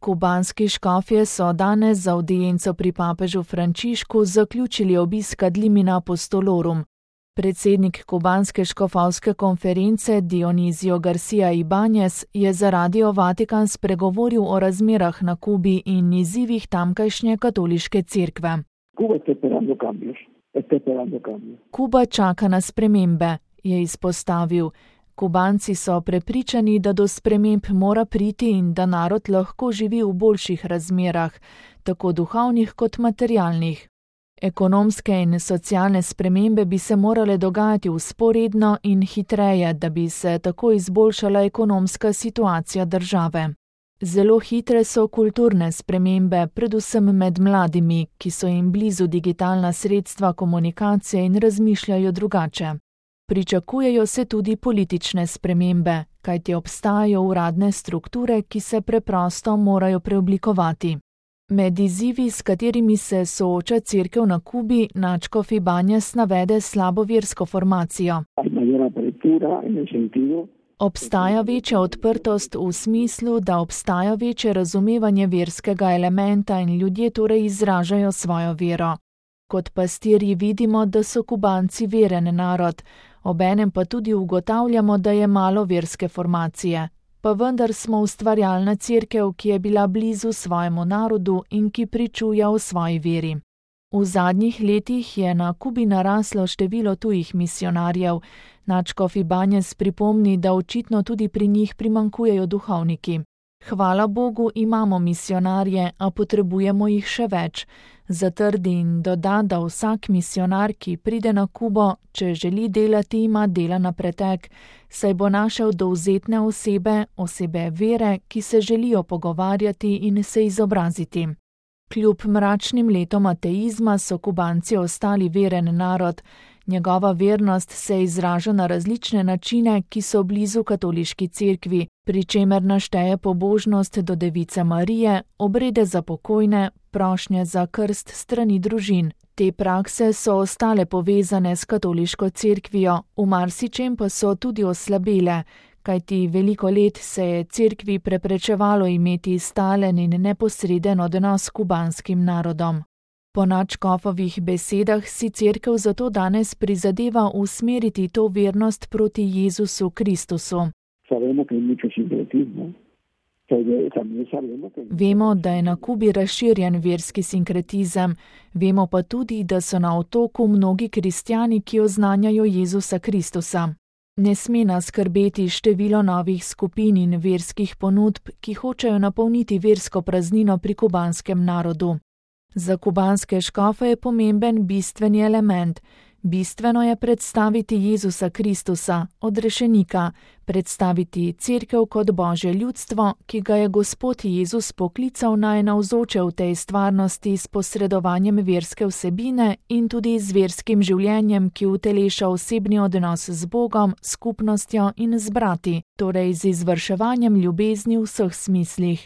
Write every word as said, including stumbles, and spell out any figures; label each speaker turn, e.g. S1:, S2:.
S1: Kubanski škofje so danes za avdienco pri papežu Frančišku zaključili obisk ad limina apostolorum. Predsednik kubanske škofovske konference Dionizio Garcia Ibanez je za Radio Vatikan spregovoril o razmerah na Kubi in izzivih tamkajšnje katoliške cerkve. Kuba čaka na spremembe, je izpostavil. Kubanci so prepričani, da do sprememb mora priti in da narod lahko živi v boljših razmerah, tako duhovnih kot materialnih. Ekonomske in socialne spremembe bi se morale dogajati vzporedno in hitreje, da bi se tako izboljšala ekonomska situacija države. Zelo hitre so kulturne spremembe, predvsem med mladimi, ki so jim blizu digitalna sredstva komunikacije in razmišljajo drugače. Pričakujejo se tudi politične spremembe, kajti obstajajo uradne strukture, ki se preprosto morajo preoblikovati. Med izzivi, s katerimi se sooča cerkev na Kubi, nadškof Ibanez navede slabo versko formacijo. Obstaja večja odprtost v smislu, da obstaja večje razumevanje verskega elementa in ljudje torej izražajo svojo vero. Kot pastirji vidimo, da so Kubanci veren narod, obenem pa tudi ugotavljamo, da je malo verske formacije. Pa vendar smo ustvarjalna cerkev, ki je bila blizu svojemu narodu in ki pričuja o svoji veri. V zadnjih letih je na Kubi naraslo število tujih misionarjev. Nadškof Ibanez pripomni, da očitno tudi pri njih primanjkujejo duhovniki. Hvala Bogu, imamo misionarje, a potrebujemo jih še več. Zatrdi in doda, da vsak misionar, ki pride na Kubo, če želi delati, ima dela na pretek, saj bo našel dovzetne osebe, osebe vere, ki se želijo pogovarjati in se izobraziti. Kljub mračnim letom ateizma so Kubanci ostali veren narod. Njegova vernost se izraža na različne načine, ki so blizu katoliški cerkvi, pri čemer našteje pobožnost do Device Marije, obrede za pokojne, prošnje za krst strani družin. Te prakse so ostale povezane s katoliško cerkvijo, v marsičem pa so tudi oslabele, kajti veliko let se je cerkvi preprečevalo imeti stalen in neposreden odnos s kubanskim narodom. Po nadškofovih besedah si cerkev zato danes prizadeva usmeriti to vernost proti Jezusu Kristusu. Vemo, da je na Kubi razširjen verski sinkretizem, vemo pa tudi, da so na otoku mnogi kristjani, ki oznanjajo Jezusa Kristusa. Ne sme nas skrbeti število novih skupin in verskih ponudb, ki hočejo napolniti versko praznino pri kubanskem narodu. Za kubanske škofe je pomemben bistveni element. Bistveno je predstaviti Jezusa Kristusa, odrešenika, predstaviti cerkev kot Božje ljudstvo, ki ga je Gospod Jezus poklical naj navzoče v tej stvarnosti s posredovanjem verske vsebine in tudi z verskim življenjem, ki uteleša osebni odnos z Bogom, skupnostjo in z brati, torej z izvrševanjem ljubezni v vseh smislih.